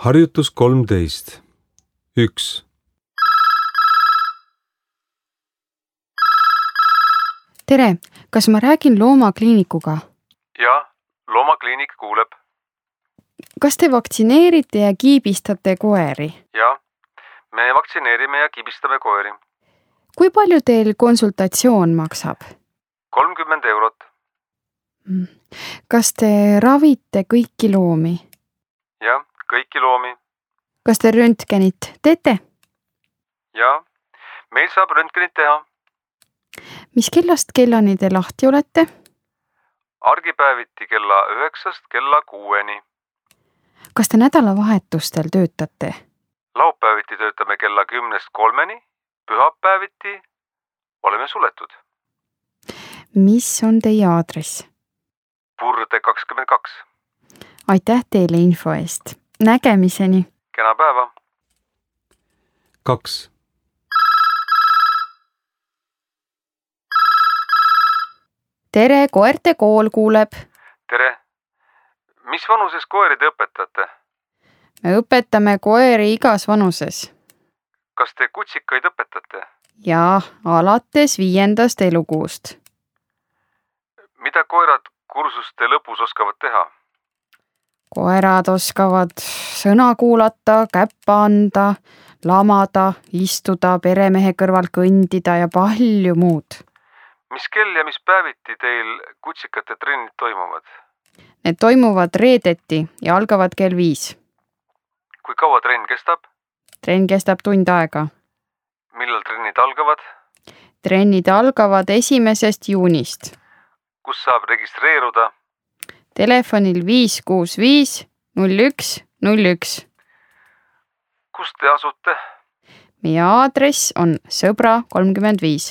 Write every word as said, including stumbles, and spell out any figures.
Harjutus kolmteist. üks. Tere, kas ma räägin loomakliinikuga? Jah, loomakliinik kuuleb. Kas te vaktsineerite ja kiibistate koeri? Jah, me vaktsineerime ja kibistame koeri. Kui palju teil konsultatsioon maksab? kolmkümmend eurot. Kas te ravite kõiki loomi? Jah, kõiki loomi. Kas te röntgenit teete? Jah, meil saab röntgenit teha. Mis kellast kellani te lahti olete? Argipäeviti kella üheksast kella kuueni. Kas te nädalavahetustel töötate? Laupäeviti töötame kella kümnest kolmeni, pühapäeviti oleme suletud. Mis on teie aadress? Purde kakskümmend kaks. Aitäh teile info eest. Nägemiseni. Kena päeva. kaks. Tere, koerte kool kuuleb. Tere. Mis vanuses koeri te õpetate? Me õpetame koeri igas vanuses. Kas te kutsikaid õpetate? Jaa, alates viiendast elukuust. Mida koerad kursuste lõpus oskavad teha? Koerad oskavad sõna kuulata, käppa anda, lamada, istuda, peremehe kõrval kõndida ja palju muud. Mis kell ja mis päeviti teil kutsikate trennid toimuvad? Need toimuvad reedeti ja algavad kell viis. Kui kaua trenn kestab? Trenn kestab tund aega. Millal trennid algavad? Trennid algavad esimesest juunist. Kus saab registreeruda? Telefonil viis kuus viis null üks null üks. Kus te asute? Meie aadress on Sõbra kolmkümmend viis.